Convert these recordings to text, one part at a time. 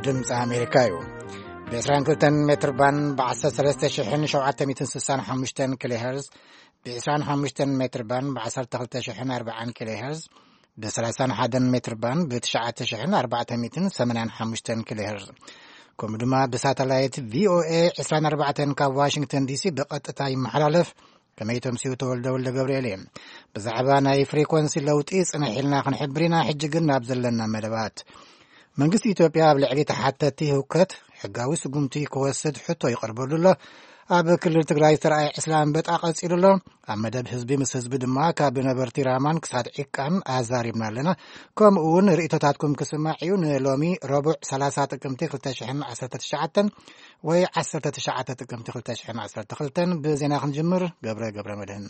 ድምፂ ኣሜሪካ እዩ። ብ22 ሜትር ባን ብ13765 ኪሎ ሄርዝ፣ ብ25 ሜትር ባን ብ12440 ኪሎ ሄርዝ፣ ብ31 ሜትር ባን ብ9485 ኪሎ ሄርዝ፣ ከምኡ ድማ ብሳተላይት ቪኦኤ 24 ካብ ዋሽንግተን ዲሲ ብቐጥታ ይመሓላለፍ። ከመይ ተምስዩ? ተወልደ ወልደ ገብርኤል እየ። ብዛዕባ ናይ ፍሪኮንሲ ለውጢ ጽንሕ ኢልና ክንሕብር ኢና። ሕጂ ግን ናብ ዘለና መደባት። መንግስቲ ኢትዮጵያ ኣብ ልዕሊ ተሓተቲ ህውከት ሕጋዊ ስጉምቲ ክወስድ ሕቶ ይቐርበሉ ኣሎ። ኣብ ክልል ትግራይ ዝተረኣየ ዕስለ ኣንበጣ ቀጺሉ ኣሎ። ኣብ መደብ ህዝቢ ምስ ህዝቢ ድማ ካብ ነበርቲ ራማን ክሳድ ዒቃን ኣዛሪብና ኣለና። ከምኡ እውን ርእይቶታትኩም ክስማዕ እዩ። ንሎሚ ረቡዕ 30 ጥቅምቲ 2019 ወይ 19 ጥቅምቲ 2012 ብዜና ክንጅምር። ገብረ ገብረ መድህን።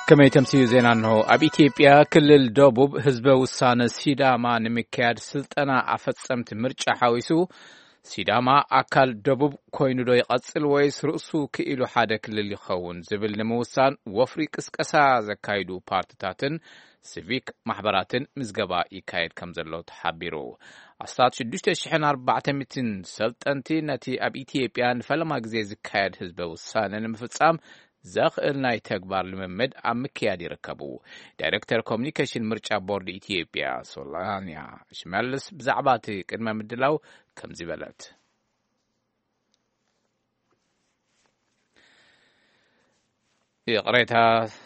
ከመይ ተምስዩ ዜና እንሆ። ኣብ ኢትዮጵያ ክልል ደቡብ ህዝበ ውሳነ ሲዳማ ንምክያድ ስልጠና ኣፈጸምቲ ምርጫ ሓዊሱ፣ ሲዳማ ኣካል ደቡብ ኮይኑ ዶ ይቐጽል ወይስ ርእሱ ክኢሉ ሓደ ክልል ይኸውን ዝብል ንምውሳን ወፍሪ ቅስቀሳ ዘካይዱ ፓርትታትን ሲቪክ ማሕበራትን ምዝገባ ይካየድ ከም ዘሎ ተሓቢሩ። ኣስታት 6,400 ሰልጠንቲ ነቲ ኣብ ኢትዮጵያ ንፈለማ ግዜ ዝካየድ ህዝበ ውሳነ ንምፍጻም ዘኽእል ናይ ተግባር ልምምድ ኣብ ምክያድ ይርከቡ። ዳይሬክተር ኮሚኒኬሽን ምርጫ ቦርድ ኢትዮጵያ ሶላንያ ሽመልስ ብዛዕባ እቲ ቅድመ ምድላው ከምዚ በለት። ይቕሬታ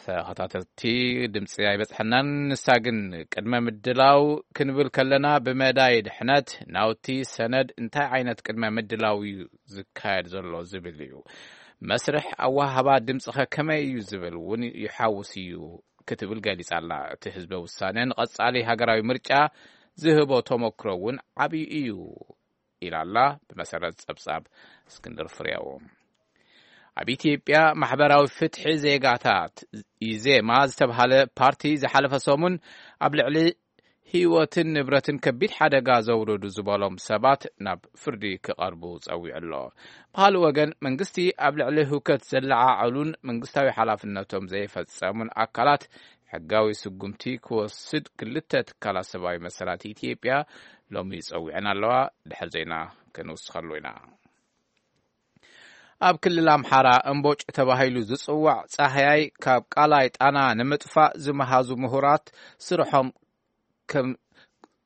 ተኸታተልቲ፣ ድምፂ ኣይበፅሐናን። ንሳ ግን ቅድመ ምድላው ክንብል ከለና ብመዳይ ድሕነት ናውቲ ሰነድ እንታይ ዓይነት ቅድመ ምድላው እዩ ዝካየድ ዘሎ ዝብል እዩ። መስርሕ ኣወሃህባ ድምፂ ኸ ከመይ እዩ ዝብል እውን ይሓውስ እዩ ክትብል ገሊጻ ኣላ። እቲ ህዝበ ውሳነ ንቐጻሊ ሃገራዊ ምርጫ ዝህቦ ተመክሮ እውን ዓብዪ እዩ ኢላ ኣላ። ብመሰረት ጸብጻብ እስክንድር ፍሬው፣ ኣብ ኢትዮጵያ ማሕበራዊ ፍትሒ ዜጋታት፣ ኢዜማ ዝተብሃለ ፓርቲ ዝሓለፈ ሰሙን ኣብ ልዕሊ ህይወትን ንብረትን ከቢድ ሓደጋ ዘውረዱ ዝበሎም ሰባት ናብ ፍርዲ ክቐርቡ ጸዊዑ ኣሎ። ብኻልእ ወገን፣ መንግስቲ ኣብ ልዕሊ ህውከት ዘለዓዕሉን መንግስታዊ ሓላፍነቶም ዘይፈጸሙን ኣካላት ሕጋዊ ስጉምቲ ክወስድ ክልተ ትካላት ሰብኣዊ መሰላት ኢትዮጵያ ሎሚ ጸዊዐን ኣለዋ። ድሕር ዜና ክንውስኸሉ ኢና። ኣብ ክልል ኣምሓራ እምቦጭ ተባሂሉ ዝጽዋዕ ጻህያይ ካብ ቃላይ ጣና ንምጥፋእ ዝመሃዙ ምሁራት ስርሖም ከም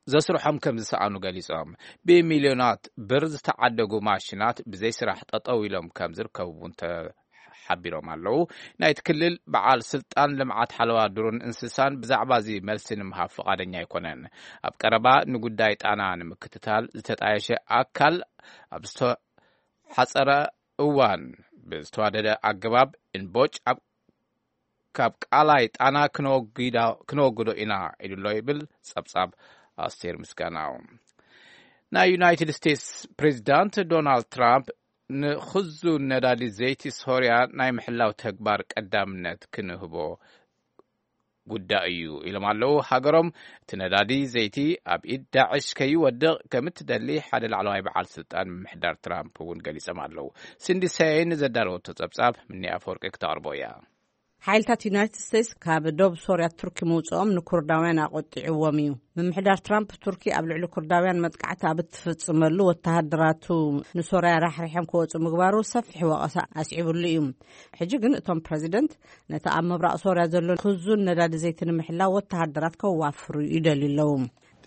ዘስርሖም ከም ዝሰኣኑ ገሊጾም፣ ብሚልዮናት ብር ዝተዓደጉ ማሽናት ብዘይ ስራሕ ጠጠው ኢሎም ከም ዝርከቡ እውን ተሓቢሮም ኣለዉ። ናይቲ ክልል በዓል ስልጣን ልምዓት ሓለዋ ዱርን እንስሳን ብዛዕባ እዚ መልሲ ንምሃብ ፍቓደኛ ኣይኮነን። ኣብ ቀረባ ንጉዳይ ጣና ንምክትታል ዝተጣየሸ ኣካል ኣብ ዝተሓጸረ እዋን ብዝተዋደደ ኣገባብ እንቦጭ ኣብ ካብ ቃላይ ጣና ክነወግዳ-፣ ክነወግዶ ኢና ኢሉ ኣሎ ይብል ጸብጻብ ኣስቴር ምስጋናው። ናይ ዩናይትድ ስቴትስ ፕሬዚዳንት ዶናልድ ትራምፕ ንኽዙን ነዳዲ ዘይቲ ሶርያ ናይ ምሕላው ተግባር ቀዳምነት ክንህቦ ጉዳይ እዩ ኢሎም ኣለዉ። ሃገሮም እቲ ነዳዲ ዘይቲ ኣብ ኢድ ዳዕሽ ከይወድቕ ከም እትደሊ ሓደ ላዕለዋይ በዓል ስልጣን ምምሕዳር ትራምፕ እውን ገሊጾም ኣለዉ። ሲንዲ ሰይን ዘዳለወቶ ጸብጻብ ምኒ ኣፈወርቂ ክተቕርቦ እያ። ሓይልታት ዩናይትድ ስቴትስ ካብ ዶብ ሶርያ ቱርኪ ምውፅኦም ንኩርዳውያን ኣቆጢዕዎም እዩ። ምምሕዳር ትራምፕ ቱርኪ ኣብ ልዕሊ ኩርዳውያን መጥቃዕቲ ኣብ እትፍጽመሉ ወተሃደራቱ ንሶርያ ራሕሪሖም ክወፁ ምግባሩ ሰፊሕ ወቐሳ ኣስዒቡሉ እዩ። ሕጂ ግን እቶም ፕረዚደንት ነቲ ኣብ ምብራቕ ሶርያ ዘሎ ክዙን ነዳዲ ዘይቲ ንምሕላው ወተሃደራት ከዋፍሩ ይደልዩ ኣለዉ።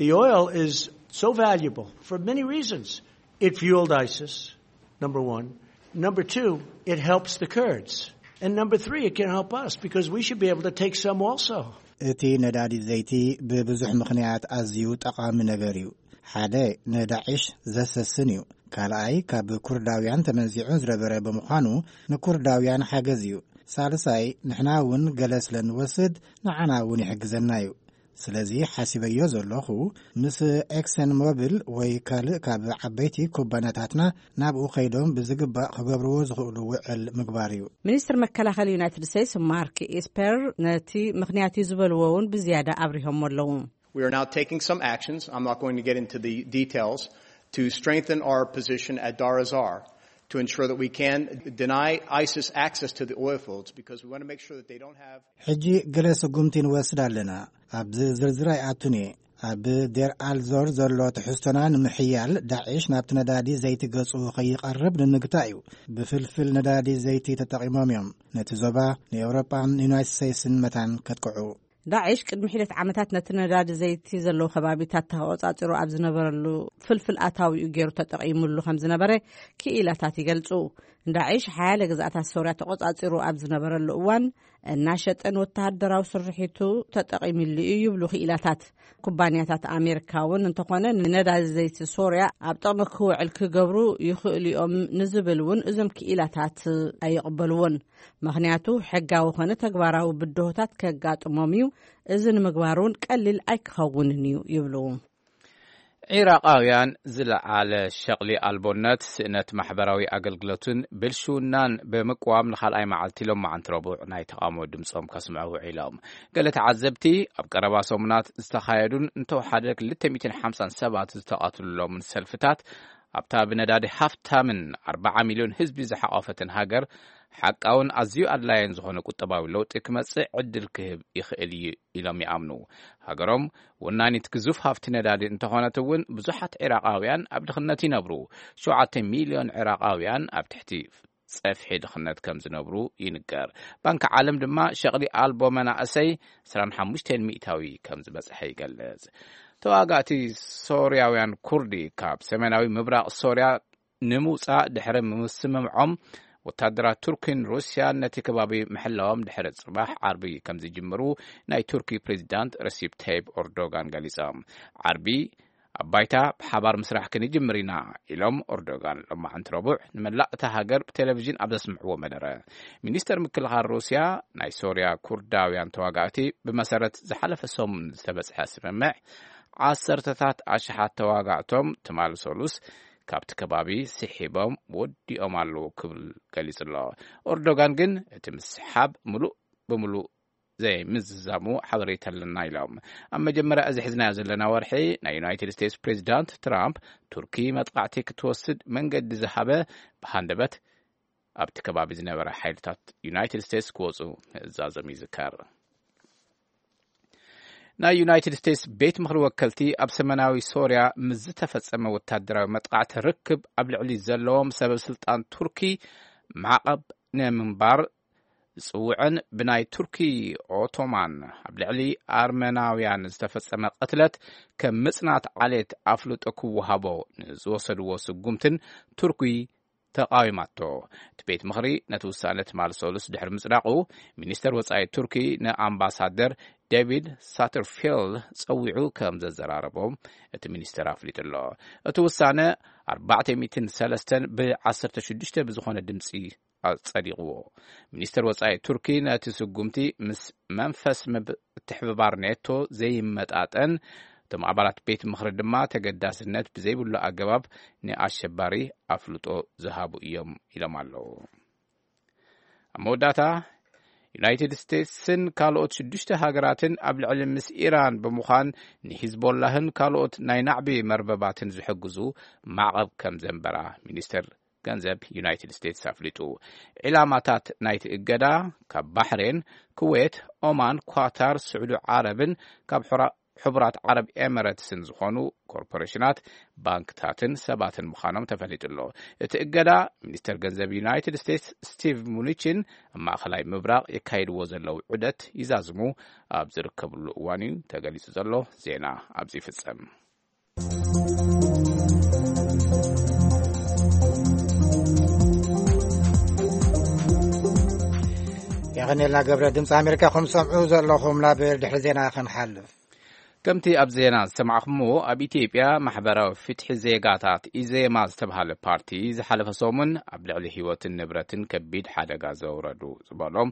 The oil is so valuable for many reasons. It fueled ISIS, number one. Number two, it helps the Kurds. And number three, it can help us because we should be able to take some also. እቲ ነዳዲ ዘይቲ ብብዙሕ ምኽንያት ኣዝዩ ጠቓሚ ነገር እዩ። ሓደ፣ ንዳዕሽ ዘሰስን እዩ። ካልኣይ፣ ካብ ኩርዳውያን ተመንዚዑ ዝነበረ ብምዃኑ ንኩርዳውያን ሓገዝ እዩ። ሳልሳይ፣ ንሕና እውን ገለ ስለ ንወስድ ንዓና እውን ይሕግዘና እዩ። ስለዚ ሓሲበዮ ዘለኹ፣ ምስ ኤክሰን ሞቢል ወይ ካልእ ካብ ዓበይቲ ኩባንያታትና ናብኡ ከይዶም ብዝግባእ ክገብርዎ ዝኽእሉ ውዕል ምግባር እዩ። ሚኒስትር መከላኸሊ ዩናይትድ ስቴትስ ማርክ ኢስፐር ነቲ ምኽንያት እዩ ዝበልዎ እውን ብዝያዳ ኣብሪሆሞ ኣለዉ። We are now taking some actions. I'm not going to get into the details to strengthen our position at Dar Azar. to ensure that we can deny ISIS access to the oil fields, because we want to make sure that they don't have ሕጂ ገለ ስጉምቲ ንወስድ ኣለና። ኣብዚ ዝርዝር ኣይኣቱን እየ። ኣብ ዴር ኣልዞር ዘሎ ትሕዝቶና ንምሕያል፣ ዳዕሽ ናብቲ ነዳዲ ዘይቲ ገጹ ከይቐርብ ንምግታእ እዩ። ብፍልፍል ነዳዲ ዘይቲ ተጠቒሞም እዮም ነቲ ዞባ ንኤውሮጳን ዩናይትድ ስቴትስን መታን ከጥቅዑ። ዳዕሽ ቅድሚ ሒደት ዓመታት ነቲ ነዳዲ ዘይቲ ዘለዎ ከባቢታት ተቆጻጺሩ ኣብ ዝነበረሉ፣ ፍልፍል ኣታዊኡ ገይሩ ተጠቒሙሉ ከም ዝነበረ ክኢላታት ይገልጹ። ዳዕሽ ሓያለ ግዝኣታት ሶርያ ተቆጻጺሩ ኣብ ዝነበረሉ እዋን፣ እናሸጠን ወተሃደራዊ ስርሒቱ ተጠቒምሉ እዩ ይብሉ ክኢላታት። ኩባንያታት ኣሜሪካ እውን እንተኾነ፣ ንነዳዲ ዘይቲ ሶርያ ኣብ ጥቕሚ ክውዕል ክገብሩ ይኽእሉ እዮም ንዝብል እውን እዞም ክኢላታት ኣይቕበልዎን። ምኽንያቱ፣ ሕጋዊ ኾነ ተግባራዊ ብድሆታት ከጋጥሞም እዩ። እዚ ንምግባር እውን ቀሊል ኣይክኸውንን እዩ ይብሉ። ዒራቓውያን ዝለዓለ ሸቕሊ ኣልቦነት፣ ስእነት ማሕበራዊ ኣገልግሎትን ብልሽውናን ብምቅዋም ንኻልኣይ መዓልቲ ሎማዓንቲ ረቡዕ ናይ ተቓውሞ ድምጾም ከስምዑ ውዒሎም። ገለ ተዓዘብቲ፣ ኣብ ቀረባ ሰሙናት ዝተኻየዱን እንተወሓደ ክልተ ሚእትን ሓምሳን ሰባት ዝተቐትሉሎምን ሰልፍታት፣ ኣብታ ብነዳዲ ሃፍታምን ኣርባዓ ሚልዮን ህዝቢ ዝሓቖፈትን ሃገር፣ ሓቃውን ኣዝዩ ኣድላይን ዝኾነ ቁጠባዊ ለውጢ ክመጽእ ዕድል ክህብ ይኽእል እዩ ኢሎም ይኣምኑ። ሃገሮም ወናኒት ግዙፍ ሃፍቲ ነዳዲ እንተኾነት እውን፣ ብዙሓት ዒራቓውያን ኣብ ድኽነት ይነብሩ። ሸውዓተ ሚልዮን ዒራቓውያን ኣብ ትሕቲ ጸፍሒ ድኽነት ከም ዝነብሩ ይንገር። ባንኪ ዓለም ድማ ሸቕሊ ኣልቦ መናእሰይ ዕስራን ሓሙሽተን ሚእታዊ ከም ዝበጽሐ ይገልጽ። ተዋጋእቲ ሶርያውያን ኩርዲ ካብ ሰሜናዊ ምብራቕ ሶርያ ንምውጻእ ድሕሪ ምስምምዖም፣ ወታደራት ቱርኪን ሩስያን ነቲ ከባቢ ምሕላዎም ድሕሪ ጽባሕ ዓርቢ ከም ዝጅምሩ ናይ ቱርኪ ፕሬዚዳንት ረሲፕ ታይብ ኦርዶጋን ገሊጾም። ዓርቢ ኣብ ባይታ ብሓባር ምስራሕ ክንጅምር ኢና ኢሎም ኦርዶጋን ሎማዓንቲ ረቡዕ ንመላእ እታ ሃገር ብቴሌቪዥን ኣብ ዘስምዕዎ መደረ። ሚኒስተር ምክልኻል ሩስያ፣ ናይ ሶርያ ኩርዳውያን ተዋጋእቲ ብመሰረት ዝሓለፈ ሰሙን ዝተበጽሐ ስምምዕ፣ ዓሰርተታት ኣሽሓት ተዋጋእቶም ትማሊ ሰሉስ ካብቲ ከባቢ ስሒቦም ወዲኦም ኣለዉ ክብል ገሊጹ ኣሎ። ኦርዶጋን ግን እቲ ምስሓብ ምሉእ ብምሉእ ዘይምዝዛሙ ሓበሬታ ኣለና ኢሎም። ኣብ መጀመርያ እዚ ሒዝናዮ ዘለና ወርሒ ናይ ዩናይትድ ስቴትስ ፕሬዚዳንት ትራምፕ ቱርኪ መጥቃዕቲ ክትወስድ መንገዲ ዝሃበ ብሃንደበት ኣብቲ ከባቢ ዝነበረ ሓይልታት ዩናይትድ ስቴትስ ክወጹ ምእዛዞም ይዝከር። ናይ ዩናይትድ ስቴትስ ቤት ምኽሪ ወከልቲ ኣብ ሰሜናዊ ሶርያ ምስ ዝተፈጸመ ወታደራዊ መጥቃዕቲ ርክብ ኣብ ልዕሊ ዘለዎም ሰበ ስልጣን ቱርኪ ማዕቐብ ንምንባር ዝጽውዕን ብናይ ቱርኪ ኦቶማን ኣብ ልዕሊ ኣርመናውያን ዝተፈጸመ ቅትለት ከም ምጽናት ዓሌት ኣፍልጦ ክወሃቦ ንዝወሰድዎ ስጉምትን ቱርኪ ተቓዊማቶ። እቲ ቤት ምኽሪ ነቲ ውሳነ ትማሊ ሰሉስ ድሕሪ ምጽዳቑ፣ ሚኒስተር ወጻኢ ቱርኪ ንኣምባሳደር ዴቪድ ሳተርፊልድ ጸዊዑ ከም ዘዘራረቦም እቲ ሚኒስተር ኣፍሊጡ ኣሎ። እቲ ውሳነ ኣርባዕተ ሚእትን ሰለስተን ብዓሰርተ ሽዱሽተ ብዝኾነ ድምጺ ኣጸዲቕዎ። ሚኒስተር ወጻኢ ቱርኪ ነቲ ስጉምቲ ምስ መንፈስ ምትሕብባር ኔቶ ዘይመጣጠን፣ እቶም ኣባላት ቤት ምኽሪ ድማ ተገዳስነት ብዘይብሉ ኣገባብ ንኣሸባሪ ኣፍልጦ ዝሃቡ እዮም ኢሎም ኣለዉ። ኣብ መወዳእታ፣ ዩናይትድ ስቴትስን ካልኦት ሽዱሽተ ሃገራትን ኣብ ልዕሊ ምስ ኢራን ብምዃን ንሂዝቦላህን ካልኦት ናይ ናዕቢ መርበባትን ዝሕግዙ ማዕቐብ ከም ዘንበራ ሚኒስተር ገንዘብ ዩናይትድ ስቴትስ ኣፍሊጡ። ዒላማታት ናይቲ እገዳ ካብ ባሕሬን፣ ኩዌት፣ ኦማን፣ ኳታር፣ ስዑዲ ዓረብን ካብ ሕራ-፣ ሕቡራት ዓረብ ኤመረትስን ዝኾኑ ኮርፖሬሽናት፣ ባንክታትን ሰባትን ምዃኖም ተፈሊጡ ኣሎ። እቲ እገዳ ሚኒስተር ገንዘብ ዩናይትድ ስቴትስ ስቲቭ ሙኒችን ኣብ ማእኸላይ ምብራቕ የካይድዎ ዘለዉ ዑደት ይዛዝሙ ኣብ ዝርከብሉ እዋን እዩ ተገሊጹ ዘሎ። ዜና ኣብዚ ይፍጸም። የቐኔልና ገብረ። ድምፂ ኣሜሪካ ከም ሰምዑ ዘለኹም፣ ናብ ድሕሪ ዜና ክንሓልፍ። ከምቲ ኣብ ዜና ዝሰማዕኹምዎ፣ ኣብ ኢትዮጵያ ማሕበራዊ ፍትሒ ዜጋታት፣ ኢዜማ ዝተባሃለ ፓርቲ፣ ዝሓለፈ ሰሙን ኣብ ልዕሊ ህይወትን ንብረትን ከቢድ ሓደጋ ዘውረዱ ዝበሎም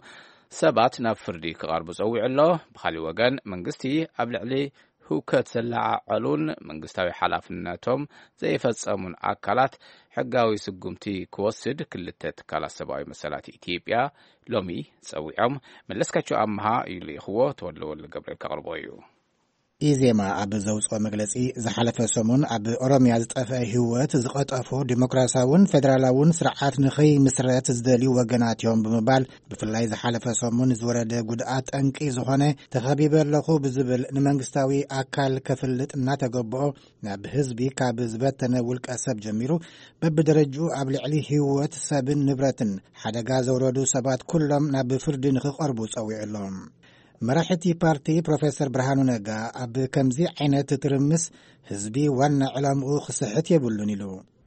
ሰባት ናብ ፍርዲ ክቐርቡ ጸዊዑ ኣሎ። ብኻሊእ ወገን፣ መንግስቲ ኣብ ልዕሊ ህውከት ዘላዓዓሉን መንግስታዊ ሓላፍነቶም ዘይፈጸሙን ኣካላት ሕጋዊ ስጉምቲ ክወስድ ክልተ ትካላት ሰብኣዊ መሰላት ኢትዮጵያ ሎሚ ጸዊዖም። መለስካቸው ኣምሃ እዩ ልኢኽዎ፣ ተወልደ ወልደ ገብርኤል ከቕርቦ እዩ። ኢዜማ ኣብ ዘውፅኦ መግለፂ፣ ዝሓለፈ ሰሙን ኣብ ኦሮምያ ዝጠፍአ ህይወት ዝቐጠፎ ዲሞክራሲያውን ፌደራላውን ስርዓት ንኸይምስረት ዝደልዩ ወገናት እዮም ብምባል፣ ብፍላይ ዝሓለፈ ሰሙን ዝወረደ ጉድኣት ጠንቂ ዝኾነ፣ ተኸቢበ ኣለኹ ብዝብል ንመንግስታዊ ኣካል ከፍልጥ እናተገበኦ፣ ናብ ህዝቢ ካብ ዝበተነ ውልቀ ሰብ ጀሚሩ፣ በብደረጅኡ ኣብ ልዕሊ ህይወት ሰብን ንብረትን ሓደጋ ዘውረዱ ሰባት ኩሎም ናብ ፍርዲ ንኽቐርቡ ጸዊዑ ኣሎ። መራሒ እቲ ፓርቲ ፕሮፌሰር ብርሃኑ ነጋ፣ ኣብ ከምዚ ዓይነት ትርምስ ህዝቢ ዋና ዕላምኡ ክስሕት የብሉን ኢሉ።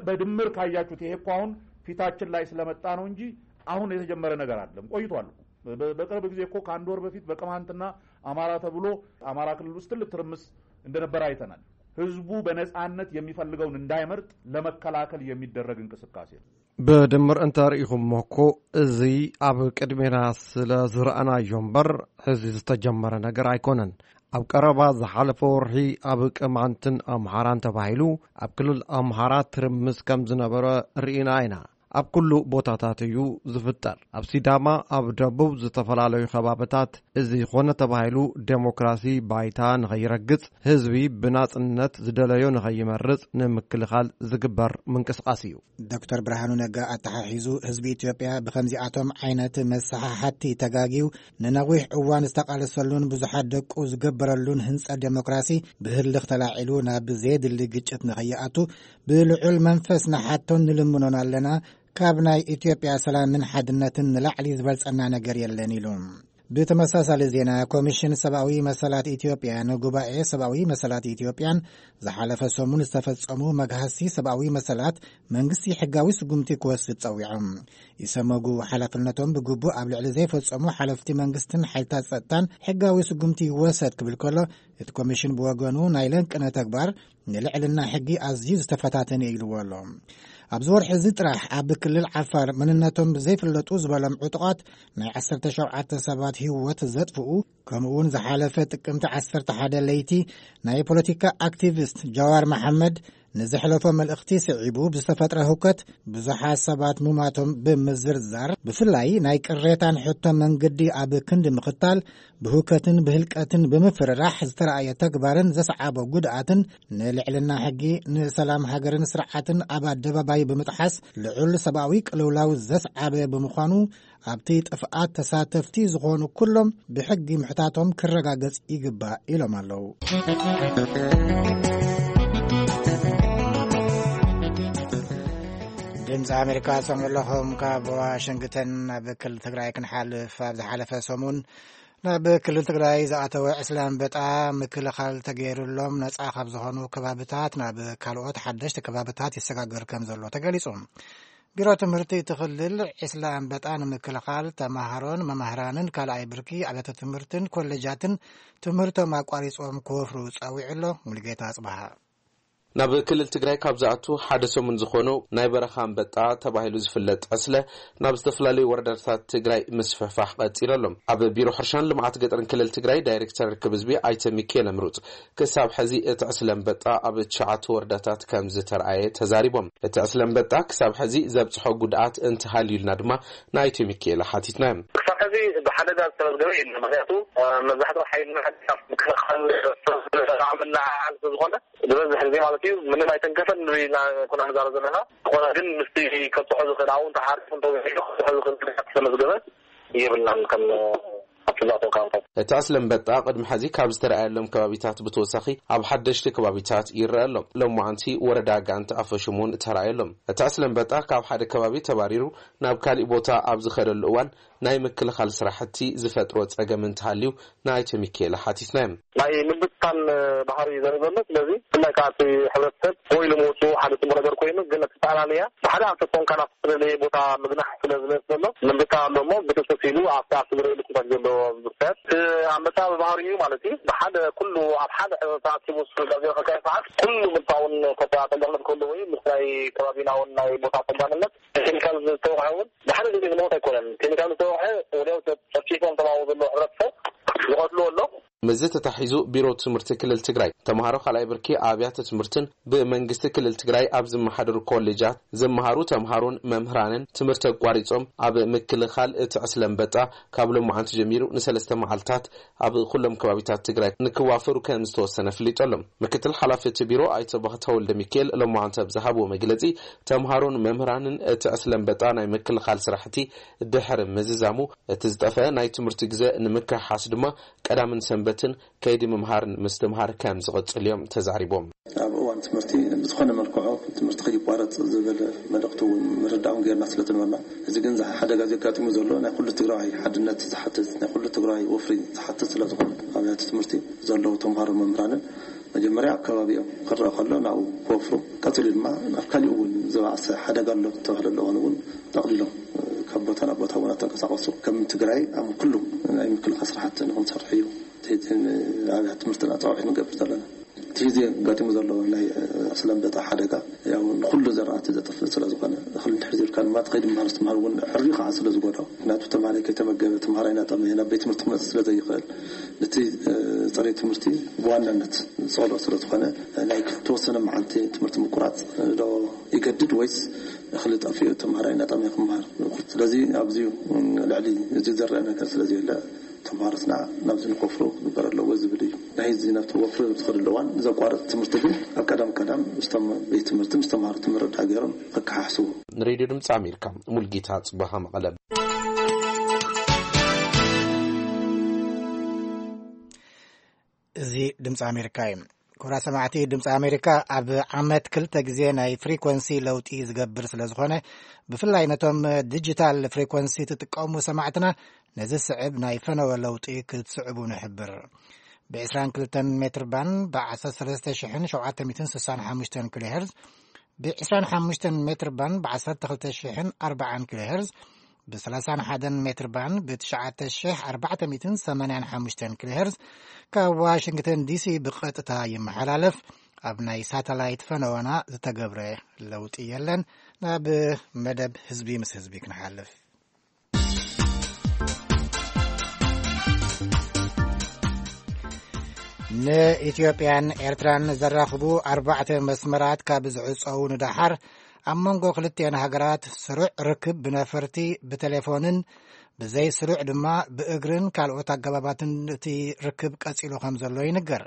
በድምር ካያችሁት፣ ይሄ እኮ አሁን ፊታችን ላይ ስለመጣ ነው እንጂ አሁን የተጀመረ ነገር አይደለም፣ ቆይቷል እኮ። በ-፣ በቅርብ ጊዜ እኮ ከአንድ ወር በፊት በቅማንትና አማራ ተብሎ አማራ ክልል ውስጥ ትልቅ ትርምስ እንደነበረ አይተናል። ህዝቡ በነጻነት የሚፈልገውን እንዳይመርጥ ለመከላከል የሚደረግ እንቅስቃሴ ነው። ብድምር እንተርኢኹሞ እኮ፣ እዚ ኣብ ቅድሜና ስለ ዝረኣናዮ እምበር፣ ሕዚ ዝተጀመረ ነገር ኣይኮነን። ኣብ ቀረባ ዝሓለፈ ወርሒ ኣብ ቅማንትን ኣምሓራን ተባሂሉ ኣብ ክልል ኣምሓራ ትርምስ ከም ዝነበረ ርኢና ኢና። ኣብ ኩሉ ቦታታት እዩ ዝፍጠር። ኣብ ሲዳማ፣ ኣብ ደቡብ ዝተፈላለዩ ከባብታት፣ እዚ ኾነ ተባሂሉ ዴሞክራሲ ባይታ ንኸይረግጽ፣ ህዝቢ ብናጽነት ዝደለዮ ንኸይመርጽ ንምክልኻል ዝግበር ምንቅስቓስ እዩ። ዶክተር ብርሃኑ ነጋ ኣተሓሒዙ፣ ህዝቢ ኢትዮጵያ ብኸምዚኣቶም ዓይነት መሰሓሓቲ ተጋግዩ ንነዊሕ እዋን ዝተቓለሰሉን ብዙሓት ደቁ ዝገበረሉን ህንጸት ዴሞክራሲ ብህልኽ ተላዒሉ ናብ ዘየድሊ ግጭት ንኸይኣቱ ብልዑል መንፈስ ንሓቶን ንልምኖን ኣለና። ካብ ናይ ኢትዮጵያ ሰላምን ሓድነትን ንላዕሊ ዝበልጸና ነገር የለን ኢሉ። ብተመሳሳሊ ዜና፣ ኮሚሽን ሰብኣዊ መሰላት ኢትዮጵያ ንጉባኤ ሰብኣዊ መሰላት ኢትዮጵያን ዝሓለፈ ሰሙን ዝተፈጸሙ መግሃስቲ ሰብኣዊ መሰላት መንግስቲ ሕጋዊ ስጉምቲ ክወስድ ጸዊዖም። ኢሰመጉ ሓላፍነቶም ብግቡእ ኣብ ልዕሊ ዘይፈጸሙ ሓለፍቲ መንግስትን ሓይልታት ጸጥታን ሕጋዊ ስጉምቲ ይወሰድ ክብል ከሎ፣ እቲ ኮሚሽን ብወገኑ ናይ ለንቅነ ተግባር ንልዕልና ሕጊ ኣዝዩ ዝተፈታተነ ኢልዎ ኣሎ። ኣብዚ ወርሒ እዚ ጥራሕ ኣብ ክልል ዓፋር መንነቶም ዘይፍለጡ ዝበሎም ዕጡቓት ናይ ዓሰርተ ሸውዓተ ሰባት ህይወት ዘጥፍኡ፣ ከምኡውን ዝሓለፈ ጥቅምቲ ዓሰርተ ሓደ ለይቲ ናይ ፖለቲካ ኣክቲቪስት ጃዋር መሓመድ ንዘሕለፎ መልእኽቲ ስዒቡ ብዝተፈጥረ ህውከት ብዙሓት ሰባት ምማቶም ብምዝርዛር፣ ብፍላይ ናይ ቅሬታን ሕቶ መንገዲ ኣብ ክንዲ ምኽታል፣ ብህውከትን ብህልቀትን ብምፍርራሕ ዝተረኣየ ተግባርን ዘስዓቦ ጉድኣትን፣ ንልዕልና ሕጊ፣ ንሰላም ሃገርን ስርዓትን ኣብ ኣደባባይ ብምጥሓስ ልዑል ሰብኣዊ ቅልውላው ዘስዓበ ብምዃኑ፣ ኣብቲ ጥፍኣት ተሳተፍቲ ዝኾኑ ኩሎም ብሕጊ ምሕታቶም ክረጋገጽ ይግባእ ኢሎም ኣለዉ። ድምፂ ኣሜሪካ ትሰምዑ ኣለኹም። ካብ ዋሽንግተን ናብ ክልል ትግራይ ክንሓልፍ፣ ኣብ ዝሓለፈ ሰሙን ናብ ክልል ትግራይ ዝኣተወ ዕስለ ኣንበጣ ምክልኻል ተገይሩሎም ነፃ ካብ ዝኾኑ ከባብታት ናብ ካልኦት ሓደሽቲ ከባብታት ይሰጋገር ከም ዘሎ ተገሊጹ። ቢሮ ትምህርቲ እቲ ክልል ዕስለ ኣንበጣ ንምክልኻል ተማሃሮን መማህራንን ካልኣይ ብርኪ ኣብያተ ትምህርትን ኮሌጃትን ትምህርቶም ኣቋሪጾም ክወፍሩ ጸዊዑ ኣሎ። ሙሉጌታ ኣጽብሃ። ናብ ክልል ትግራይ ካብ ዝኣቱ ሓደ ሰሙን ዝኾነው ናይ በረኻ ኣንበጣ ተባሂሉ ዝፍለጥ ዕስለ ናብ ዝተፈላለዩ ወረዳታት ትግራይ ምስፍሕፋሕ ቀፂሉ ኣሎ። ኣብ ቢሮ ሕርሻን ልምዓት ገጠርን ክልል ትግራይ ዳይሬክተር ርክብ ህዝቢ ኣይተ ሚካኤል ምሩፅ ክሳብ ሕዚ እቲ ዕስለ ኣንበጣ ኣብ ትሽዓተ ወረዳታት ከም ዝተረኣየ ተዛሪቦም። እቲ ዕስለ ኣንበጣ ክሳብ ሕዚ ዘብፅሖ ጉድኣት እንተሃልዩልና ድማ ንኣይተ ሚካኤል ሓቲትና። ክሳብ ሕዚ ብሓደጋ ዝተመዝገበ የለን። ምክንያቱ፣ እ፣ መብዛሕትኡ ሓይልና ምክልኻል ምልዓል ስለዝኾነ፣ ዝበዝሕ ግዜ ማለት እዩ፣ ምንም ኣይተንከፈን ንብል ኢና ኮና ንዛረብ ዘለና። ዝኾነ ግን ምስቲ ከብፅሖ ዝኽእል፣ ኣብኡ እንተሓሪፉ እንተወሒዱ ከብፅሖ ዝኽእል ጉድኣት ዝተመዝገበ የብልናን ከም ኣብቲ ዝኣተወ ከባቢታት። እቲ ዕስለ ኣንበጣ ቅድሚ ሕዚ ካብ ዝተረኣየሎም ከባቢታት ብተወሳኺ ኣብ ሓደሽቲ ከባቢታት ይረአ ኣሎ። ሎማዓንቲ ወረዳ ጋንት ኣፈሹም እውን ተራእዩ ኣሎ። እቲ ዕስለ ኣንበጣ ካብ ሓደ ከባቢ ተባሪሩ ናብ ካሊእ ቦታ ኣብ ዝኸደሉ እዋን ናይ ምክልኻል ስራሕቲ ዝፈጥሮ ጸገም እንተሃልዩ ንኣይተ ሚካኤል ሓቲትናዮም። ናይ ምብትታን ባህሪ ዘርኢ ዘሎ። ስለዚ ብፍላይ ከዓ እቲ ሕብረተሰብ ወይ ኢሉ ምውፅኡ ሓደ ፅቡቅ ነገር ኮይኑ፣ ግን እቲ ጠቕላልያ ብሓደ ኣንፈት ኮንካ ናብ ዝተፈላለየ ቦታ ምግናሕ ስለ ዝመፅእ ዘሎ፣ ምብትታን ኣሎ እሞ ብጥስጥስ ኢሉ ኣብቲ ኣብቲ ዝረእየሉ ኩነታት ዘሎ ምብትታን። እቲ ኣንበጣ ብባህሪኡ ማለት እዩ፣ ብሓደ ኩሉ ኣብ ሓደ ተኣኪቡ ስጋዜ ከካይ ሰዓት ኩሉ ምልታውን ተጠያጠኛነት ክህሉ ወይ ምስ ናይ ከባቢና እውን ናይ ቦታ ተጋንነት ኬሚካል ዝተወቕዐ እውን ብሓደ ግዜ ዝመውት ኣይኮነን። ኬሚካል ዝተወቕዐ ወዲያው ጨፍጪፎም ተባብኡ ዘሎ ሕብረተሰብ ዝቐትልዎ ኣሎ። ምስዚ ተታሒዙ ቢሮ ትምህርቲ ክልል ትግራይ ተምሃሮ ካልኣይ ብርኪ ኣብያተ ትምህርትን ብመንግስቲ ክልል ትግራይ ኣብ ዝመሓደሩ ኮሌጃት ዝመሃሩ ተምሃሮን መምህራንን ትምህርቲ ኣቋሪጾም ኣብ ምክልኻል እቲ ዕስለ ኣንበጣ ካብ ሎማዓንቲ ጀሚሩ ንሰለስተ መዓልታት ኣብ ኩሎም ከባቢታት ትግራይ ንክዋፈሩ ከም ዝተወሰነ ኣፍሊጡ ኣሎ። ምክትል ሓላፊ እቲ ቢሮ ኣይተ ባህታ ወልደ ሚካኤል ሎማዓንቲ ኣብ ዝሃብዎ መግለጺ፣ ተምሃሮን መምህራንን እቲ ዕስለ ኣንበጣ ናይ ምክልኻል ስራሕቲ ድሕሪ ምዝዛሙ፣ እቲ ዝጠፍአ ናይ ትምህርቲ ግዘ ንምክሕሓስ ድማ ቀዳምን ሰንበትን ከይዲ ምምሃርን ምስትምሃር ከም ዝቕፅል እዮም ተዛሪቦም። ኣብ እዋን ትምህርቲ ብዝኾነ መልክዑ ትምህርቲ ከይቋረፅ ዝብል መልእኽቲ እውን ምርዳእ እውን ጌርና ስለ ዝነበርና፣ እዚ ግን እዚ ሓደጋ ዘጋጢሙ ዘሎ ናይ ኩሉ ትግራዋይ ሓድነት ዝሓትት፣ ናይ ኩሉ ትግራዋይ ወፍሪ ዝሓትት ስለ ዝኾነ፣ ኣብያተ ትምህርቲ ዘለዉ ተምሃሮ መምህራንን መጀመርያ ኣብ ከባቢኦም ክረአ ከሎ ናብኡ ክወፍሩ፣ ቀፂሉ ድማ ኣብ ካሊኡ እውን ዝበኣሰ ሓደጋ ኣሎ ዝተባህለሉ እዋን እውን ጠቕሊሎም ካብ ቦታ ናብ ቦታ እውን ኣተንቀሳቐሱ። ከም ትግራይ ኣብ ኩሉ ናይ ምክልኻል ስራሕቲ ንክንሰርሕ እዩ እቲ ኣብያተ ትምህርትና ፃውዒት ንገብር ዘለና። እቲ ሕዚ ኣጋጢሙ ዘሎ ናይ ዕስለ ኣንበጣ ሓደጋ ያው ንኩሉ ዘራእቲ ዘጥፍእ ስለ ዝኾነ፣ እኽሊ እንድሕር ዘይብልካ ድማ እቲ ከይዲ ምምሃር ምስትምሃር እውን ዕርዩ ከዓ ስለ ዝጎድኦ፣ ምክንያቱ ተምሃራይ ከይተመገበ፣ ተምሃራይ እናጠመየ ናብ ቤት ትምህርቲ ክመፅእ ስለ ዘይኽእል፣ ነቲ፣ እ፣ ፅሬት ትምህርቲ ብዋናነት ዝፀልኦ ስለ ዝኾነ፣ ናይ ተወሰነ መዓልቲ ትምህርቲ ምቁራፅ ዶ ይገድድ ወይስ እኽሊ ጠፊኡ ተምሃራይ እናጠመየ ክምሃር? ስለዚ ኣብዚ ልዕሊ እዚ ዝረአ ነገር ስለ ዘየለ፣ ተምሃሮትና ናብዚ ንከፍሩ ክግበር ኣለዎ ዝብል እዩ። ናይ እዚ ናብቲ ወፍሪ ዝኸደሉ እዋን ዘቋርጥ ትምህርቲ ግን ኣብ ቀዳም ቀዳም ምስቶም ቤት ትምህርቲ ምስ ተምሃሮ ምርዳእ ገይሮም ከከሓሕስዎ። ንሬድዮ ድምፂ ኣሜሪካ፣ ሙልጌታ ጽባሃ፣ መቐለ። እዚ ድምፂ ኣሜሪካ እዩ። ክቡራት ሰማዕቲ፣ ድምፂ ኣሜሪካ ኣብ ዓመት ክልተ ግዜ ናይ ፍሪኮንሲ ለውጢ ዝገብር ስለ ዝኾነ፣ ብፍላይ ነቶም ዲጂታል ፍሪኮንሲ ትጥቀሙ ሰማዕትና፣ ነዚ ስዕብ ናይ ፈነወ ለውጢ ክትስዕቡ ንሕብር። ብ22 ሜትር ባን ብ13765 ኪሎ ሄርዝ፣ ብ25 ሜትር ባን ብ12440 ኪሎ ሄርዝ፣ ብ31 ሜትር ባን ብ9485 ኪሎ ሄርዝ ካብ ዋሽንግተን ዲሲ ብቐጥታ ይመሓላለፍ። ኣብ ናይ ሳተላይት ፈነወና ዝተገብረ ለውጢ የለን። ናብ መደብ ህዝቢ ምስ ህዝቢ ክንሓልፍ። ንኢትዮጵያን ኤርትራን ዘራኽቡ ኣርባዕተ መስመራት ካብ ዝዕጸዉ ንደሓር፣ ኣብ መንጎ ክልቲኤን ሃገራት ስሩዕ ርክብ ብነፈርቲ፣ ብቴሌፎንን ብዘይ ስሩዕ ድማ ብእግርን ካልኦት ኣገባባትን እቲ ርክብ ቀጺሉ ከም ዘሎ ይንገር።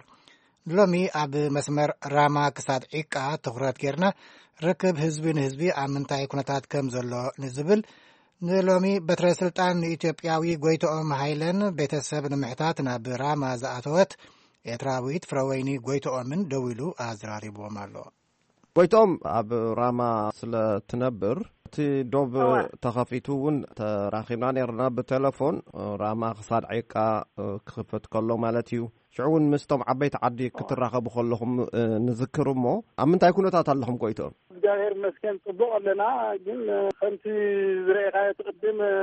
ሎሚ ኣብ መስመር ራማ ክሳድ ዒቃ ትኹረት ጌርና፣ ርክብ ህዝቢ ንህዝቢ ኣብ ምንታይ ኩነታት ከም ዘሎ ንዝብል፣ ንሎሚ በትረ ስልጣን ንኢትዮጵያዊ ጎይትኦም ሃይለን ቤተሰብ ንምሕታት ናብ ራማ ዝኣተወት ኤርትራዊት ፍረወይኒ ጎይትኦምን ደዊሉ ኣዘራሪብዎም ኣሎ። ጎይትኦም ኣብ ራማ ስለ ትነብር፣ እቲ ዶብ እወ። ተኸፊቱ እውን ተራኺብና ነርና ብቴሌፎን፣ ራማ ክሳድ ዒቃ ክኽፈት ከሎ ማለት እዩ። ሽዑ እውን ምስቶም ዓበይቲ ዓዲ ክትራኸቡ ከለኹም፣ እ፣ ንዝክር እሞ፣ ኣብ ምንታይ ኩነታት ኣለኹም ጎይትኦም? እግዚኣብሔር ይመስገን ጽቡቕ ኣለና፣ ግን፣ እ፣ ከምቲ ዝረኣኻዮ እቲ ቅድም፣ እ፣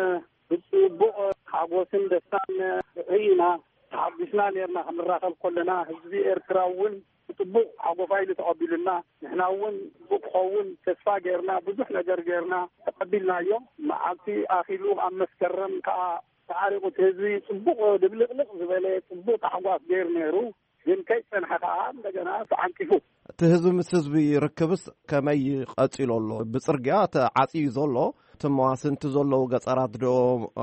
ብጽቡቕ ሓጎስን ደስታን ርኢና ተሓጒስና ኔርና። ክንራኸብ ከለና ህዝቢ ኤርትራ እውን ብጽቡቕ ሓጎፋ ኢሉ ተቐቢሉና፣ ንሕና እውን ጽቡቕ ክኸውን ተስፋ ጌርና፣ ብዙሕ ነገር ጌርና ተቐቢልናዮ። መዓልቲ ኣኺሉ ኣብ መስከረም ከኣ ተዓሪቑ እቲ ህዝቢ ጽቡቕ ድብልቕልቕ ዝበለ ጽቡቕ ታሕጓስ ገይሩ ነይሩ። ግን ከይጸንሐ ከኣ እንደገና ተዓንቂፉ። እቲ ህዝቢ ምስ ህዝቢ ርክብስ ከመይ ቀጺሉ ኣሎ? ብጽርግያ ተዓጽዩ ዘሎ፣ እቲ መዋስንቲ ዘለዉ ገጸራት ዶ፣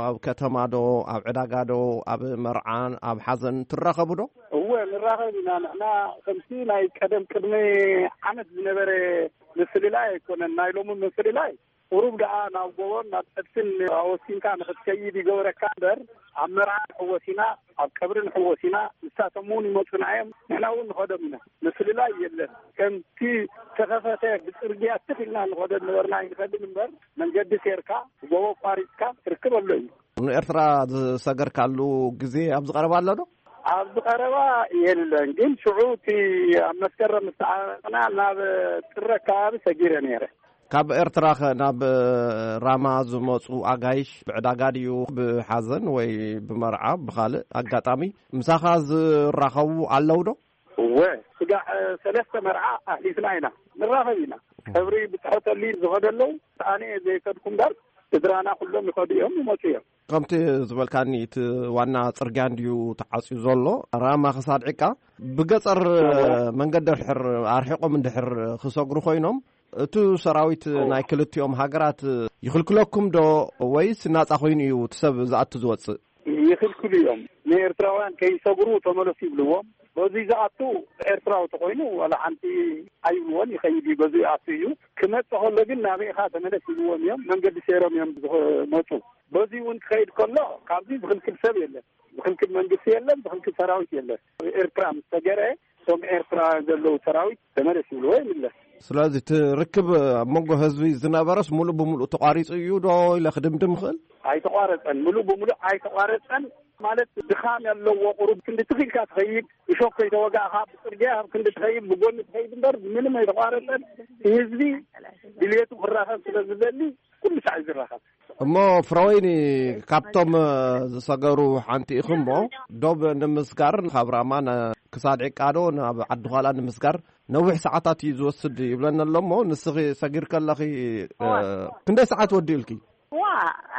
ኣብ ከተማ ዶ፣ ኣብ ዕዳጋ ዶ፣ ኣብ መርዓን ኣብ ሓዘን ትራኸቡ ዶ? እወ፣ ንራኸብ ኢና። ንሕና ከምቲ ናይ ቀደም ቅድሚ ዓመት ዝነበረ ምፍልላይ ኣይኮነን። ናይ ሎሚ ምፍልላይ ቁሩብ ደኣ ናብ ጎቦን ናብ ጸድፍን ኣወሲንካ ንኽትከይድ ይገብረካ እምበር፣ ኣብ መርዓ ንሕወስ ኢና፣ ኣብ ቀብሪ ንሕወስ ኢና። ንሳቶም እውን ይመጹና እዮም፣ ንሕና እውን ንኸዶም ኢና። ምፍልላይ የለን። ከምቲ ተኸፈተ ብጽርግያ ትኽ ኢልና ንኸዶ ነበርና ኣይንኸድን እምበር፣ መንገዲ ሴርካ፣ ጎቦ ኣቋሪጽካ ትርክብ ኣሎ እዩ። ንኤርትራ ዝሰገርካሉ ግዜ ኣብዚ ቀረባ ኣሎ ዶ? ኣብዚ ቀረባ የለን፣ ግን ሽዑ እቲ ኣብ መስከረም ምስ ተዓረቕና ናብ ጥሪ ኣከባቢ ሰጊረ ነይረ። ካብ ኤርትራ ኸ ናብ ራማ ዝመጹ ኣጋይሽ ብዕዳጋ ድዩ፣ ብሓዘን ወይ ብመርዓ፣ ብኻልእ ኣጋጣሚ ምሳኻ ዝራኸቡ ኣለዉ ዶ? እወ፣ ስጋዕ ሰለስተ መርዓ ኣሕሊፍና ኢና። ንራኸብ ኢና። ቀብሪ ብጽሐተሊ ዝኸዱ ኣለዉ። ኣነ እየ ዘይከድኩ እምበር፣ ስድራና ኩሎም ይኸዱ እዮም፣ ይመጹ እዮም። ከምቲ ዝበልካኒ፣ እቲ ዋና ጽርግያ እንድዩ ተዓጽዩ ዘሎ፣ ራማ ክሳድ ዕቃ። ብገጸር መንገዲ ድሕር ኣርሒቖም እንድሕር ክሰግሩ ኮይኖም፣ እቲ ሰራዊት ናይ ክልቲኦም ሃገራት ይኽልክለኩም ዶ፣ ወይስ ናጻ ኮይኑ እዩ እቲ ሰብ ዝኣቱ ዝወጽእ? ይኽልክሉ እዮም። ንኤርትራውያን ከይሰግሩ ተመለሱ ይብልዎም። በዚ ዝኣቱ ኤርትራዊ ተኮይኑ ዋላ ሓንቲ ኣይብልዎን፣ ይኸይድ እዩ፣ በዚ ይኣቱ እዩ። ክመጽእ ከሎ ግን ናበይ ኢኻ ተመለስ ይብልዎም እዮም። መንገዲ ሰይሮም እዮም ዝመጹ። በዚ እውን ክኸይድ ከሎ ካብዚ ዝኽልክል ሰብ የለን። ዝኽልክል መንግስቲ የለን፣ ዝኽልክል ሰራዊት የለን። ኤርትራ ምስ ተገረ እቶም ኤርትራ ዘለዉ ሰራዊት ተመለስ ይብልዎ ይምለስ። ስለዚ እቲ ርክብ ኣብ መንጎ ህዝቢ ዝነበረስ ሙሉእ ብሙሉእ ተቋሪጹ እዩ ዶ ኢለ ክድምድም ይኽእል? ኣይተቋረጸን፣ ሙሉእ ብሙሉእ ኣይተቋረጸን። ማለት ድኻም ኣለዎ። ቁሩብ ክንዲ ትኺልካ ትኸይድ፣ እሾክ ከይተወጋእኻ ብጽርግያ ኣብ ክንዲ ትኸይድ፣ ብጎኒ ትኸይድ እምበር ምንም ኣይተቋረጸን። እቲ ህዝቢ ድልየቱ ክራኸብ ስለ ዝደሊ ኩሉ ሳዕ እዩ ዝራኸብ። እሞ ፍረወይኒ፣ ካብቶም ዝሰገሩ ሓንቲ ኢኹም እሞ፣ ዶብ ንምስጋር ካብ ራማ ነ- ክሳድ ዕቃዶ ናብ ዓዲ ዃላ ንምስጋር ነዊሕ ሰዓታት እዩ ዝወስድ ይብለና ኣሎ እሞ፣ ንስኺ ሰጊር ከለኺ እ፣ እዋ። ክንደይ ሰዓት ወዲኡልኪ? ዋ፣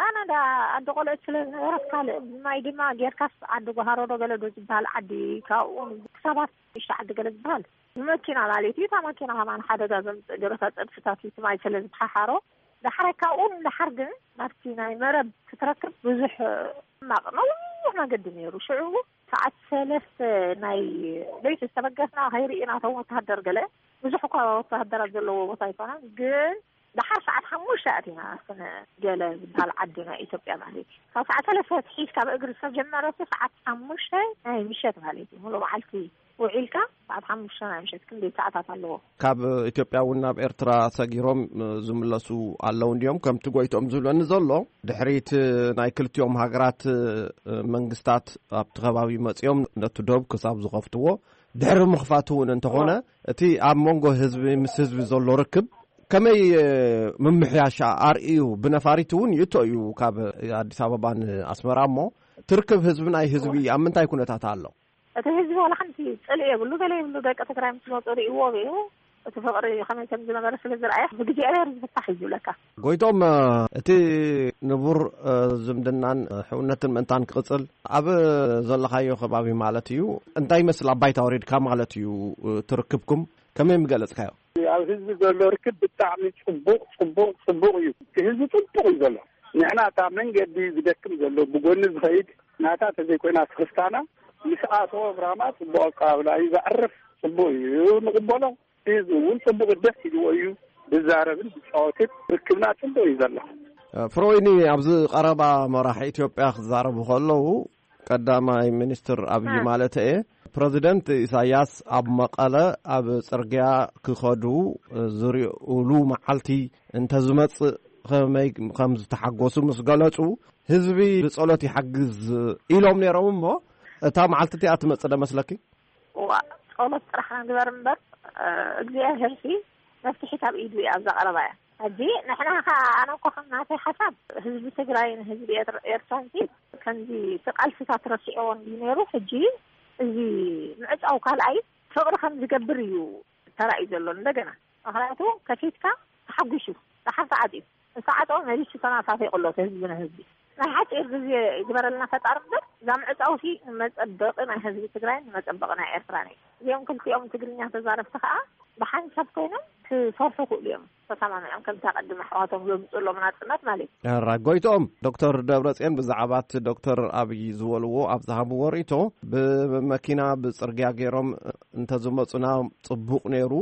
ኣነ ዳ ዓዲ ቆልዑት ስለ ዝነበረት ካልእ ብማይ ድማ ጌርካስ ዓዲ ጓሃሮ ዶ ገለ ዶ ዝበሃል ዓዲ፣ ካብኡ ክሳባት ሽዱሽተ ዓዲ ገለ ዝበሃል ብመኪና ማለት እዩ። እታ መኪና ከማን ሓደጋ ዘምፅእ ገለ እታ ፀድፍታት እዩ፣ እቲ ማይ ስለ ዝሓሓሮ። ዳሕራይ ካብኡ ንዳሓር ግን ናብቲ ናይ መረብ ክትረክብ ብዙሕ ሕማቕ ነዊሕ መገዲ ነይሩ። ሽዑ ሰዓት ሰለስተ ናይ ለይቲ ዝተበገስና ከይርኢና እቶም ወተሃደር ገለ ብዙሕ እኳ ወተሃደራት ዘለዎ ቦታ ኣይኮነን፣ ግን ደሓር ሰዓት ሓሙሽተ ኣቲና ስነ ገለ ዝበሃል ዓዲ ናይ ኢትዮጵያ ማለት እዩ። ካብ ሰዓት ሰለስተ ኣትሒዝካ ብእግሪ ዝተጀመረ እሱ ሰዓት ሓሙሽተ ናይ ምሸት ማለት እዩ። ሙሉእ መዓልቲ ውዒልካ ሰዓት ሓሙሽተ ናይ ምሸት ክንደይ ሰዓታት ኣለዎ? ካብ ኢትዮጵያ እውን ናብ ኤርትራ ሰጊሮም ዝምለሱ ኣለዉ እንዲዮም፣ ከምቲ ጎይቶም ዝብለኒ ዘሎ። ድሕሪት ናይ ክልቲኦም ሃገራት መንግስታት ኣብቲ ከባቢ መጺኦም ነቲ ዶብ ክሳብ ዝኸፍትዎ፣ ድሕሪ ምኽፋት እውን እንተኾነ፣ እቲ ኣብ መንጎ ህዝቢ ምስ ህዝቢ ዘሎ ርክብ ከመይ ምምሕያሻ ኣርእዩ? ብነፋሪት እውን ይእቶ እዩ ካብ ኣዲስ ኣበባ ንኣስመራ። እሞ ትርክብ ህዝቢ ናይ ህዝቢ ኣብ ምንታይ ኩነታት ኣሎ? እቲ ህዝቢ ዋላ ሓንቲ ጽልኢ የብሉ፣ ገለ የብሉ። ደቂ ትግራይ ምስ መጹ ርእይዎ እዩ። እቲ ፍቕሪ ከመይ ከም ዝነበረ ስለ ዝረኣየ ብእግዚኣብሔር ዝፍታሕ እዩ ዝብለካ። ጎይቶም፣ እቲ ንቡር ዝምድናን ሕውነትን ምእንታን ክቕጽል ኣብ ዘለኻዮ ከባቢ ማለት እዩ፣ እንታይ ይመስል? ኣብ ባይታ ወሪድካ ማለት እዩ ትርክብኩም ከመይ ምገለጽካዮ? ኣብ ህዝቢ ዘሎ ርክብ ብጣዕሚ ጽቡቕ፣ ጽቡቕ፣ ጽቡቕ እዩ። እቲ ህዝቢ ጽቡቕ እዩ ዘሎ። ንሕና እታ መንገዲ ዝደክም ዘሎ ብጎኒ ዝኸይድ ናታ ተዘይኮይና ስኽፍታና ምስ ኣተወ ብራማ ጽቡቕ ኣቀባብላ እዩ ዘዕርፍ። ጽቡቕ እዩ፣ ንቕበሎ። ህዝቢ እውን ጽቡቕ ደስ ኢልዎ እዩ ዝዛረብን ዝጫወትን። ርክብና ጽቡቕ እዩ ዘሎ። ፍሮይኒ፣ ኣብዚ ቀረባ መራሒ ኢትዮጵያ ክዛረቡ ከለዉ፣ ቀዳማይ ሚኒስትር ኣብይ እ። ማለት እየ፣ ፕረዚደንት ኢሳያስ ኣብ መቐለ ኣብ ጽርግያ ክኸዱ ዝርእሉ መዓልቲ እንተዝመጽእ ከመይ ከም ዝተሓጎሱ ምስ ገለጹ፣ ህዝቢ ብጸሎት ይሓግዝ ኢሎም ነይሮም። እሞ እታ መዓልቲ እቲኣ ትመጽእ ዶ መስለኪ? እዋ፣ ጸሎት ጥራሕ ንግበር እምበር፣ እ፣ እግዚኣብሔር ሲ መፍትሒ ካብ ኢዱ እያ ኣብዛ ቀረባ እያ። ሕጂ ንሕና ኸዓ፣ ኣነ እኮ ከም ናተይ ሓሳብ፣ ህዝቢ ትግራይን ህዝቢ ኤር-፣ ኤርትራን ሲ ከምዚ እቲ ቃልስታት ረሲዕዎ እንድዩ ነይሩ። ሕጂ እዚ ምዕጻው ካልኣይ ፍቕሪ ከም ዝገብር እዩ ተራእዩ ዘሎ እንደገና። ምኽንያቱ ከፊትካ ተሓጒሱ፣ ደሓር ተዓጽዩ። ዝተዓጸወ መሊሱ ተናፋፊቑ ኣሎ፣ እቲ ህዝቢ ንህዝቢ። ናይ ሓጺር ግዜ ይግበረልና ፈጣሪ እምበር፣ እዛ ምዕጻውሲ ንመጸበቒ ናይ ህዝቢ ትግራይን ንመጸበቒ ናይ ኤርትራን እዩ። እዚኦም ክልቲኦም ትግርኛ ተዛረብቲ ከኣ ብሓንሳብ ኮይኖም ክሰርሑ ክእሉ እዮም፣ ተሰማሚዖም፣ ከምቲ ኣቐድም ኣሕዋቶም ዘምጽኡ ኣለዉ ናጽነት ማለት እዩ። ሕራይ ጎይትኦም፣ ዶክተር ደብረጽዮን ብዛዕባ እቲ ዶክተር ኣብይ ዝበልዎ ኣብ ዝሃብዎ ርእይቶ፣ ብመኪና ብጽርግያ ገይሮም እንተዝመጹና ጽቡቕ ነይሩ፣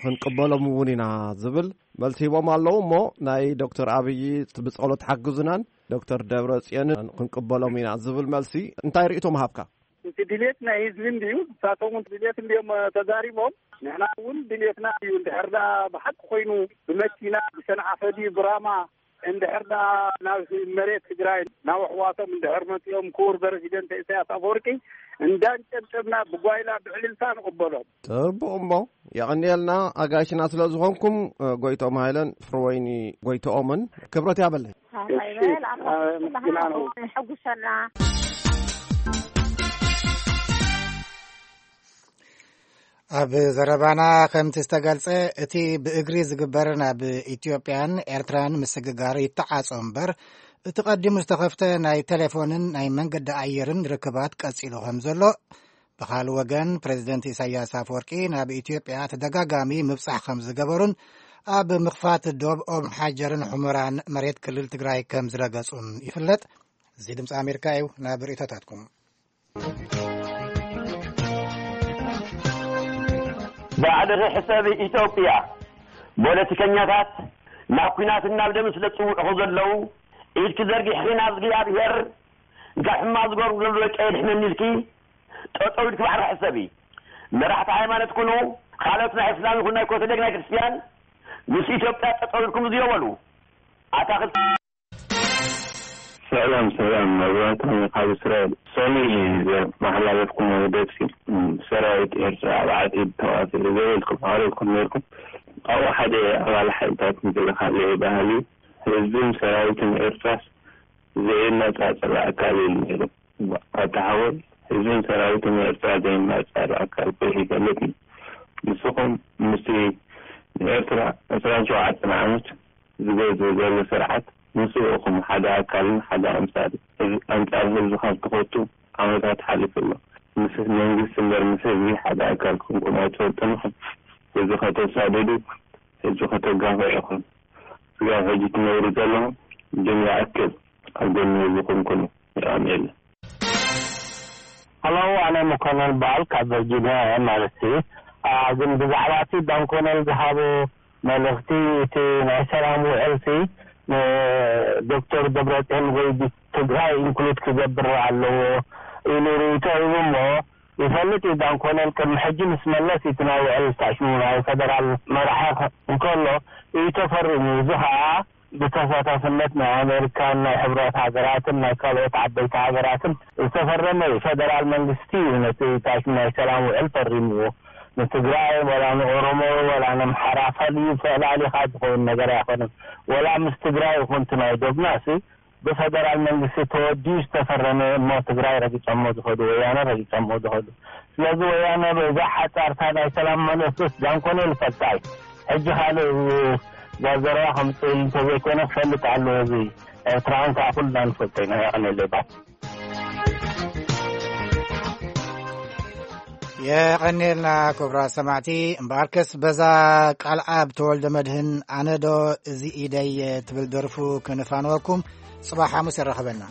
ክንቅበሎም እውን ኢና ዝብል መልሲ ሂቦም ኣለዉ። እሞ ናይ ዶክተር ኣብይ ብጸሎት ሓግዙናን ዶክተር ደብረጽዮንን ክንቅበሎም ኢና ዝብል መልሲ እንታይ ርእይቶ ምሃብካ? እቲ ድሌት ናይ ህዝቢ እንድዩ፣ ንሳቶም እውን ድሌት እንድዮም ተዛሪቦም። ንሕና እውን ድሌትና እዩ፣ እንድሕር ደኣ ብሓቂ ኮይኑ ብመኪና ብሰንዓፈ ድዩ ብራማ፣ እንድሕር ደኣ ናብ መሬት ትግራይ ናብ ኣሕዋቶም እንድሕር መጺኦም፣ ክቡር ፕረዚደንት ኢሳያስ ኣፈወርቂ እንዳንጨብጨብና ብጓይላ ብዕልልታ ንቕበሎም። ጽቡቕ እሞ፣ የቐንየልና ኣጋይሽና ስለ ዝኾንኩም፣ እ፣ ጎይትኦም ሃይለን ፍርወይኒ ጎይትኦምን ክብረት ያበለይ። ኣባይ እሺ፣ በል፣ ኣምላኽ ኣመስግና ኩላህና ነው። ሕጉሰና። ኣብ ዘረባና ከምቲ ዝተገልጸ፣ እቲ ብእግሪ ዝግበር ናብ ኢትዮጵያን ኤርትራን ምስግጋር ይተዓጾ እምበር፣ እቲ ቀዲሙ ዝተኸፍተ ናይ ቴሌፎንን ናይ መንገዲ ኣየርን ርክባት ቀጺሉ ከም ዘሎ፣ ብኻልእ ወገን ፕሬዚደንት ኢሳያስ ኣፈወርቂ ናብ ኢትዮጵያ ተደጋጋሚ ምብጻሕ ከም ዝገበሩን ኣብ ምኽፋት ዶብ ኦም ሓጀርን ሑመራን መሬት ክልል ትግራይ ከም ዝረገጹን ይፍለጥ። እዚ ድምፂ ኣሜሪካ እዩ። ናብ ርእይቶታትኩም። ባዕልኺ ሕሰቢ ኢትዮጵያ። ፖለቲከኛታት ናብ ኲናትን ናብ ደምን ስለ ዝጽውዑ ዘለዉ፣ ኢድኪ ዘርጊሕኺ ናብ እግዚኣብሔር፣ እንታይ ሕማቕ ዝገብሩ ዘለዉ ደቂ የድሕነኒ ኢልኪ ጠጠው ኢልኪ ባዕልኺ ሕሰቢ። መራሕቲ ሃይማኖት ኩኑ፣ ካልኦት ናይ እስላም ይኹን ናይ ኮተደግ ናይ ክርስትያን፣ ምስ ኢትዮጵያ ጠጠው ኢልኩም ዝዮ በሉ። ኣታኽልቲ ሰላም ሰላም፣ መብራህቶም ካብ እስራኤል። ሶኒ፣ ዘመሓላለፍኩም መግለጺ፣ ሰራዊት ኤርትራ ኣብ ዓጺድ ተዋፊሩ ዘበልኩም ኣቕሪብኩም ነርኩም። ኣብኡ ሓደ ኣባል ሓይልታት ምክልኻል ባህሊ፣ ህዝብን ሰራዊትን ኤርትራስ ዘይነጻጸል ኣካል ኢሉ ነይሩ። ኣታ ሓወይ፣ ህዝብን ሰራዊትን ኤርትራ ዘይነጻጸል ኣካል ኮይኑ ይፈልጥ እዩ። ንስኹም ምስቲ ንኤርትራ ዕስራን ሸውዓተን ዓመት ዝገዝእ ዘሎ ስርዓት፣ ንሱ ኢኹም ሓደ ኣካልን ሓደ ኣንጻር፣ ህዝ-፣ ኣንጻር ህዝብኻ ዝተኸቱ ዓመታት ሓሊፉ ኣሎ። ምስ መንግስቲ እምበር ምስ ህዝቢ ሓደ ኣካል ኮንኩም ኣይትፈልጡን ኢኹም። ህዝቢ ከተሳድዱ፣ ህዝቢ ከተጋፍዑ ኢኹም። ስጋብ ሕጂ ትነብሩ ዘለኹም፣ ግን ይኣክል፣ ኣብ ጎኒ ህዝብኹም ኩኑ። የቐንየልና። ሃሎ፣ ኣነ መኮነን በዓል ካብ ቨርጂኒያ እየ ማለት እዩ። አ፣ ግን ብዛዕባ እቲ ዳንኮነል ዝሃቦ መልእኽቲ፣ እቲ ናይ ሰላም ውዕልሲ ንዶክተር ደብረጽዮን ወይ ትግራይ ኢንክሉድ ክገብር ኣለዎ ኢሉ ርእይቶ ሂቡ እሞ፣ ይፈልጥ እዩ ዳንኮነል ቅድሚ ሕጂ ምስ መለስ እቲ ናይ ውዕል ስታሽኑ ናይ ፈደራል መራሒ እንከሎ እዩ ተፈሪሙ። እዚ ኸዓ ብተሳታፍነት ናይ ኣሜሪካን ናይ ሕብረት ሃገራትን ናይ ካልኦት ዓበይቲ ሃገራትን ዝተፈረመ እዩ። ፈደራል መንግስቲ እዩ ነቲ ታሽም ናይ ሰላም ውዕል ፈሪምዎ። ንትግራይ ወላ ንኦሮሞ ወላ ነምሓራ ፈልዩ ፈላሊኻ ዝኸውን ነገር ኣይኮነን። ወላ ምስ ትግራይ ይኹን እቲ ናይ ዶግማሲ ብፈደራል መንግስቲ ተወዲኡ ዝተፈረመ እሞ ትግራይ ረጊጾሞ ዝኸዱ፣ ወያነ ረጊጾሞ ዝኸዱ። ስለዚ ወያነ በዛ ሓጻርታ ናይ ሰላም መለስስ ዳንኮነ ይፈልጣ እዩ። ሕጂ ካልእ እዛ ዘረባ ከምጽእ እንተዘይኮነ ክፈልጥ ኣለዎ። እዚ ኤርትራን ከዓ ኩልና ንፈልጦ ኢና። የቐኔለይ ባይ። የቐኔልና ክቡራት ሰማዕቲ። እምበኣርከስ በዛ ቃል ኣብ ተወልደ መድህን ኣነዶ እዚ ኢደይ ትብል ደርፉ ክንፋንወኩም። ጽባሕ ሓሙስ የራኸበና።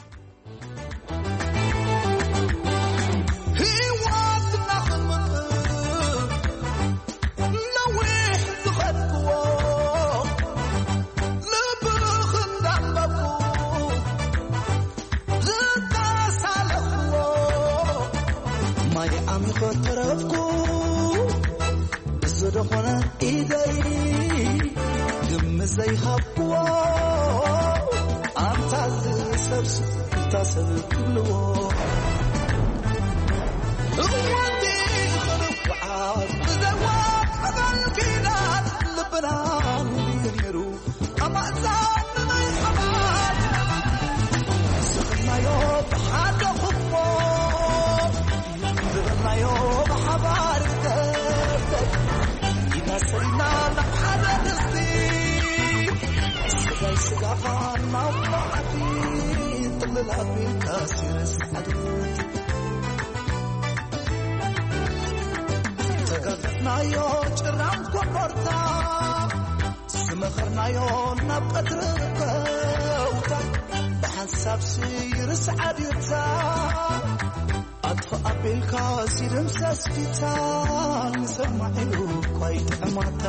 ህይወትና ክንምጥእ ነዊሕ ዝኸድክዎ፣ ልብኽ እንዳንበብኩ ዝተሳለኽዎ፣ ማይ ዓሚኾ ተረፍኩ። እዚ ደኾነ ኢደይ ግምት ዘይሃብክዎ፣ ኣንታ እዚ ሰብሲ፣ ኣንታ ሰብ ትብልዎ። እዋንቲ ክንፍዓት ብዘይዋ ቀዳል ኪዳን ልብና ነይሩ። ኣማእዛን ናይ ሓባር ስኽናዮ ብሓደ ኹሞ፣ ዝብልናዮ ብሓባር ይገብር። ይመስልና ናብ ሓደ ድስቲ፣ ስጋይ ስጋኻ ናብ መዓዲ፣ ጥልል ኣቢልካ ሲረስ ሓድርቲ። ተጋገፍናዮ ጭራም ኮቦርታ፣ ዝመኸርናዮ ናብ ቀትሪ ከውታ፣ ብሓንሳብ ስይርስ ዓድታ፣ ኣጥፍ ኣቢልካ ሲድምሰስ ፊታ፣ ንሰማዒኡ እኳ ይጥዕማታ።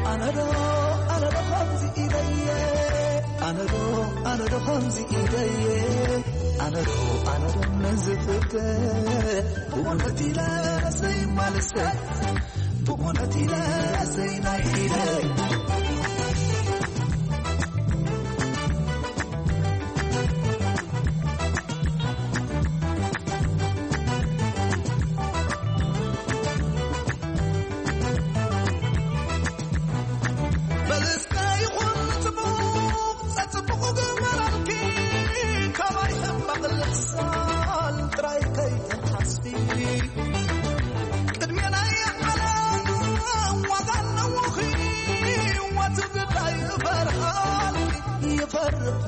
ኣነዶ ኣነዶ ከምዚ ኢለየ፣ ኣነዶ ኣነዶ ከምዚ ኢለየ፣ ኣነዶ ኣነዶ ነዚ ፍቅር ብእውነት ኢለ ዘይማልሰ፣ ብእውነት ኢለ ዘይናይ ኢለ። በልስካ ይኹን ጽቡቕ፣ ጸጽቡቕ ግበረልኪ፣ ካባይ ሕማቕ ልሕሳን ጥራይ ከይትሓስቢ። ቅድሜ ናይ ዓለም ዋጋ ኣለዎ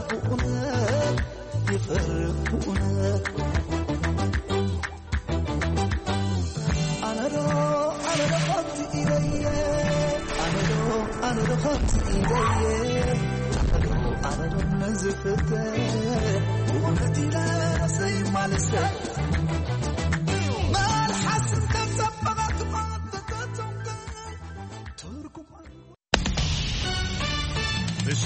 ብእውነት ይፈርድ ብእውነት ኣነዶ ኣነዶ ከምዚ ኢለየ ኣነዶ ኣነዶ ከምዚ ኢለየ ኣነዶ ኣነዶ ንዝፍተ ብእውነት ኢለ ዘይማልሰ